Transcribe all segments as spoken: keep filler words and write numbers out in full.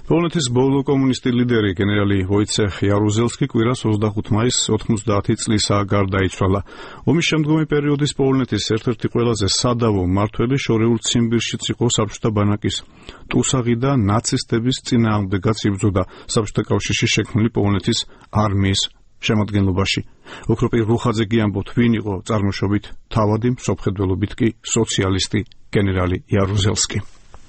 პოლონეთის ბოლო კომუნისტი ლიდერი გენერალი ვოიცეხ იარუზელსკი კვირას ოცდახუთი მაისს ოთხმოცდაათი წლისა გარდაიცვალა. ომის შემდგომი პერიოდის პოლონეთის ერთ-ერთი ყველაზე სადავო მმართველი შორეულ ციმბირშიც იყო საბჭოთა ბანაკის ტუსაღი და ნაცისტების წინააღმდეგაც იბრძოდა საბჭოთა კავშირში შექმნილი პოლონეთის არმიის შემადგენლობაში. ოქროპირ რუხაძე ამბობთ, ვინ იყო წარმოშობით თავადი, მსოფლმხედველობით კი სოციალისტი გენერალი იარუზელსკი.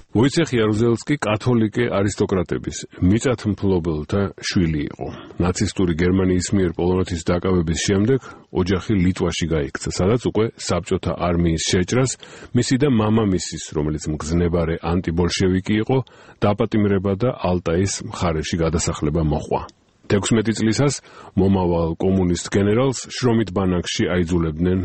ვოიცეხ იარუზელსკი კათოლიკე არისტოკრატების მიწათმფლობელთა შვილი იყო. ნაცისტური გერმანიის მიერ პოლონეთის დაკავების შემდეგ ოჯახი ლიტვაში გაიქცა, სადაც უკვე საბჭოთა არმიის შეჭრას მისი და მამამისის, რომელიც მგზნებარე ანტიბოლშევიკი იყო, დაპატიმრება და ალტაის მხარეში გადასახლება მოჰყვა. თექვსმეტი წლისას მომავალ კომუნისტ გენერალს შრომით ბანაკში აიძულებდნენ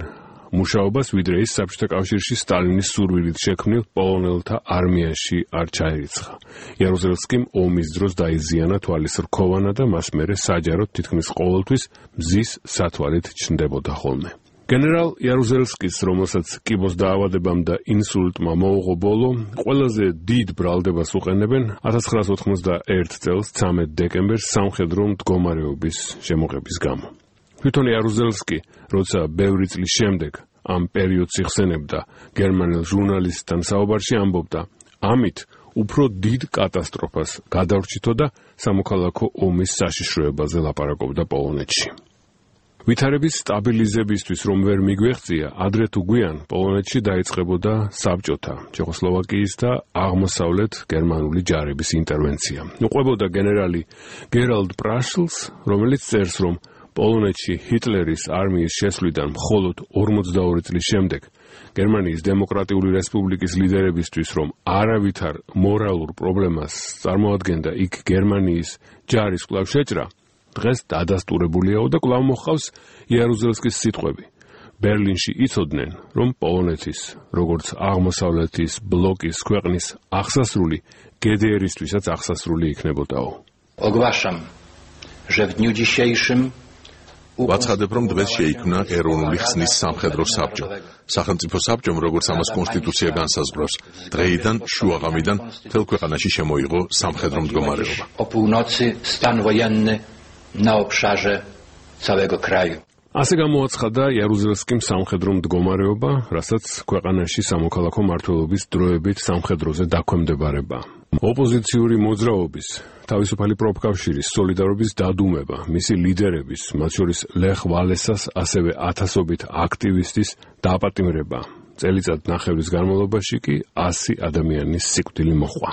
მუშაობას, ვიდრე ის საბჭოთა კავშირში სტალინის სურვილით შექმნილ პოლონელთა არმიაში არ ჩაერიცხა. იარუზელსკიმ ომის დროს დაიზიანა თვალის რქოვანა და მას მერე საჯაროდ თითქმის ყოველთვის მზის სათვალით ჩნდებოდა ხოლმე. გენერალ იარუზელსკის, რომელსაც კიბოს დაავადებამ და ინსულტმა მოუღო ბოლო, ყველაზე დიდ ბრალდებას უყენებენ ათას ცხრაას ოთხმოცდაერთი წელს ცამეტ დეკემბერს სამხედრო მდგომარეობის შემოღების გამო. თვითონ იარუზელსკი, როცა ბევრი წლის შემდეგ ამ პერიოდს იხსენებდა გერმანელ ჟურნალისტთან საუბარში, ამბობდა, ამით უფრო დიდ კატასტროფას გადავრჩითო და სამოქალაქო ომის საშიშროებაზე ლაპარაკობდა პოლონეთში. ვითარების სტაბილიზებისთვის რომ ვერ მიგვეღწია, ადრე თუ გვიან პოლონეთში დაიწყებოდა საბჭოთა, ჩეხოსლოვაკიის და აღმოსავლეთ გერმანული ჯარების ინტერვენცია. უყვებოდა გენერალი გერალდ პრაშლს, რომელიც წერს, რომ პოლონეთში ჰიტლერის არმიის შესვლიდან მხოლოდ ორმოცდაორი წლის შემდეგ გერმანიის დემოკრატიული რესპუბლიკის ლიდერებისთვის, რომ არავითარ მორალურ პრობლემას წარმოადგენდა იქ გერმანიის ჯარის კვლავ შეჭრა, დღეს დადასტურებულიაო და კვლავ მოჰყავს იარუზელსკის სიტყვები. ბერლინში იცოდნენ, რომ პოლონეთის, როგორც აღმოსავლეთის ბლოკის ქვეყნის აღსასრული გე დე ერისთვისაც აღსასრული იქნებოდაო. Ogłaszam, że w dniu dzisiejszym ვაცხადებ, რომ დღეს შეიქმნა ეროვნული ხსნის სამხედრო საბჭო. სახელმწიფო საბჭომ, როგორც ამას კონსტიტუცია განსაზღვრავს, დღეიდან შუაღამიდან მთელ ქვეყანაში შემოიღო სამხედრო მდგომარეობა. O północy stan wojenny na obszarze całego kraju. ასე გამოაცხადა იარუზელსკიმ სამხედრო მდგომარეობა, რასაც ქვეყანაში სამოქალაქო მმართველობის დროებით სამხედროზე დაქვემდებარება. ოპოზიციური მოძრაობის, თავისუფალი პროფკავშირის, სოლიდარობის დადუმება, მისი ლიდერების, მათ შორის ლეხ ვალესას, ასევე ათასობით აქტივისტის დაპატიმრება. წელიწად ნახევრის განმავლობაში კი ასი ადამიანის სიკვდილი მოჰყვა.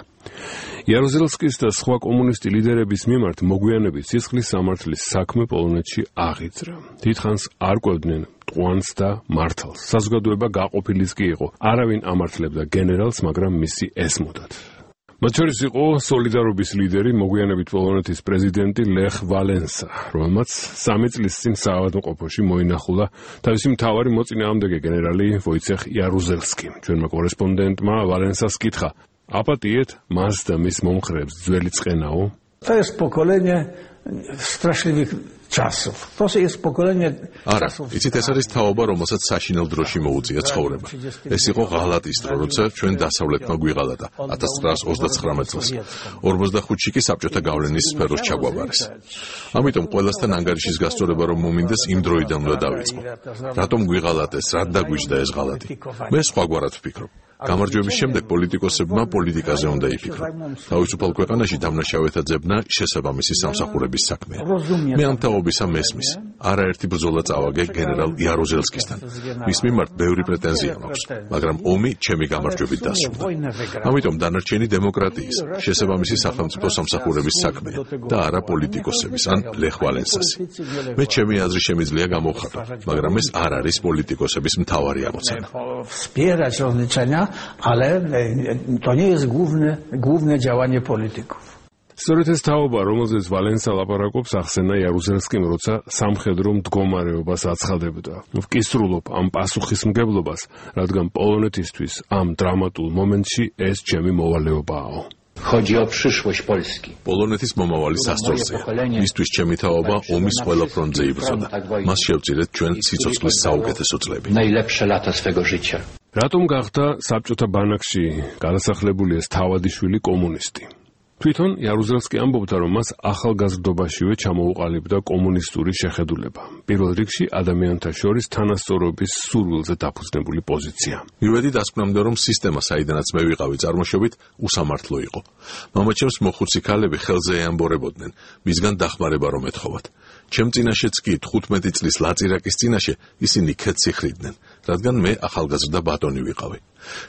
იარუზელსკის და სხვა კომუნისტი ლიდერების მიმართ მოგვიანებით სისხლის სამართლის საქმე პოლონეთში აღიძრა. დიდხანს არ კვებდნენ მტყუანს და მართალს. საზოგადოება გაყოფილიც კი იყო. არავინ ამართლებდა გენერალს, მაგრამ მისი ესმოდათ. მათ შორის იყო სოლიდარობის ლიდერი, მოგვიანებით პოლონეთის პრეზიდენტი ლეხ ვალენსა, რომელმაც სამი წლის წინ საავადმყოფოში მოინახულა თავისი მთავარი მოწინააღმდეგე გენერალი ვოიცეხ იარუზელსკი. ჩვენმა კორესპონდენტმა ვალენსას კითხა, აპატიეთ მას და მის მომხრეებს ძველი წყენაო? To jest pokolenie straszliwych czasów. To jest pokolenie არა, იცით, ეს არის თაობა, რომელსაც საშინელ დროში მოუწია ცხოვრება. ეს იყო ღალატის დრო, როცა ჩვენ დასავლეთმა გვიღალატა ათას ცხრაას ოცდაცხრამეტ წელს. ორმოცდახუთში კი საბჭოთა გავლენის სფეროს ჩაგვაბარეს. ამიტომ ყველასთან ანგარიშის გასწორება რომ მომინდეს, იმ დროიდან უნდა დავიწყო. რატომ გვიღალატეს, რად დაგვიჯდა ეს ღალატი? მე სხვაგვარად ვფიქრობ. გამარჯვების შემდეგ პოლიტიკოსებმა პოლიტიკაზე უნდა იფიქრონ. თავისუფალ ქვეყანაში დამნაშავეთა ძებნა შესაბამისი სამსახურების საქმეა. მე ამ თაობისა მესმის. არაერთი ბრძოლა წავაგე გენერალ იარუზელსკისთან. მის მიმართ ბევრი პრეტენზია მაქვს, მაგრამ ომი ჩემი გამარჯვებით დასრულდა. ამიტომ დანარჩენი დემოკრატიის, შესაბამისი სახელმწიფო სამსახურების საქმეა და არა პოლიტიკოსების ან ლეხ ვალენსასი. მე ჩემი აზრი შემიძლია გამოვხატო, მაგრამ ეს არ არის პოლიტიკოსების მთავარი ამოცანა. ale to nie jest główne, główne działanie polityków. სწორედ ეს თაობა, რომელზეც ვალენსა ლაპარაკობს, ახსენა იარუზელსკიმ, როცა სამხედრო მდგომარეობას აცხადებდა. ვკისრულობ ამ პასუხისმგებლობას, რადგან პოლონეთისთვის ამ დრამატულ მომენტში ეს ჩემი მოვალეობაა. Chodzi o przyszłość Polski. პოლონეთის მომავალი სასწორზეა. მისთვის ჩემი თაობა ომის ყველა ფრონტზე იბრძოდა. მას შევწირეთ ჩვენ სიცოცხლის საუკეთესო წლები. Najlepsze lata swego życia. რატომ გახდა საბჭოთა ბანაკში გადასახლებული ეს თავადი შვილი კომუნისტი? თვითონ იარუზელსკი ამბობდა, რომ მას ახალგაზრდობაშივე ჩამოუყალიბდა კომუნისტური შეხედულება. პირველ რიგში ადამიანთა შორის თანასწორობის სურვილზე დაფუძნებული პოზიცია. მივედი დასკვნამდე, რომ სისტემა, საიდანაც მე ვიყავი წარმოშობით, უსამართლო იყო. მამაჩემს მოხუცი ქალები ხელზე ეამბორებოდნენ, მისგან დახმარება რომ ეთხოვათ. ჩემ წინაშეც კი თხუთმეტი წლის ლაწირაკის წინაშე ისინი ქედს იხრიდნენ, რადგან მე ახალგაზრდა ბატონი ვიყავი.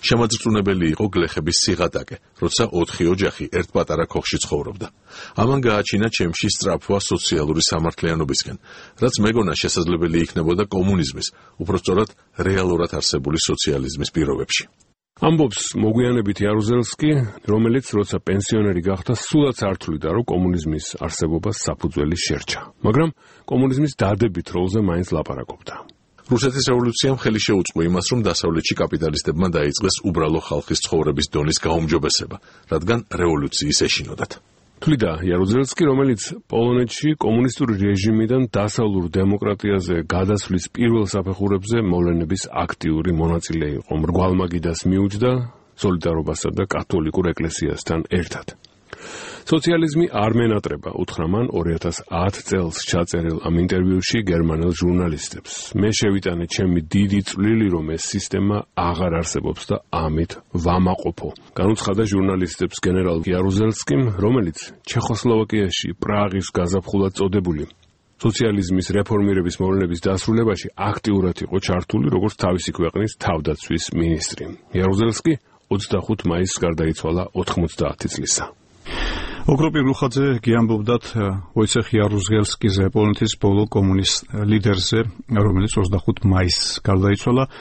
შემაძრწუნებელი იყო გლეხების სიღატაკე, როცა ოთხი ოჯახი ერთ პატარა ქოხში ცხოვრობდა. ამან გააჩინა ჩემში სწრაფვა სოციალური სამართლიანობისკენ, რაც მეგონა შესაძლებელი იქნებოდა კომუნიზმის, უпростоრად რეალურად არსებული სოციალიზმის პირობებში. ამბობს მოგვიანებით იარუზელსკი, რომელიც როცა პენსიონერი გახდა, სულაც არ თვლიდა, რომ კომუნიზმის არსებობას საფუძველი შერჩა, მაგრამ კომუნიზმის დადებით როლზე მაინც ლაპარაკობდა. რუსეთის რევოლუციამ ხელი შეუწყო იმას, რომ დასავლეთში კაპიტალისტებმა დაიწყეს უბრალო ხალხის ცხოვრების დონის გაუმჯობესება, რადგან რევოლუციის ეშინოდათ. თვლიდა იარუზელსკი, რომელიც პოლონეთში კომუნისტური რეჟიმიდან დასავლურ დემოკრატიაზე გადასვლის პირველ საფეხურებზე მოვლენების აქტიური მონაწილე იყო. მრგვალმაგიდას მიუჯდა სოლიდარობასა და კათოლიკურ ეკლესიასთან ერთად. სოციალიზმი არ მენატრება, უთხრა მან ორი ათას ათ წელს ჩაწერილ ამ ინტერვიუში გერმანელ ჟურნალისტებს. მე შევიტანე ჩემი დიდი წვლილი, რომ ეს სისტემა აღარ არსებობს და ამით ვამაყოფო. განუცხადა ჟურნალისტებს გენერალ იარუზელსკიმ, რომელიც ჩეხოსლოვაკიაში პრაღის გაზაფხულად წოდებული სოციალიზმის რეფორმირების მოვლენების დასრულებაში აქტიურად იყო ჩართული, როგორც თავისი ქვეყნის თავდაცვის მინისტრი. იარუზელსკი ოცდახუთ მაისს გარდაიცვალა ოთხმოცდაათი წლისა. ოქროპირ რუხაძე გიამბობდათ ვოიცეხ იარუზელსკიზე, პოლონეთის ბოლო კომუნისტ ლიდერზე, რომელიც ოცდახუთ მაისს გარდაიცვალა.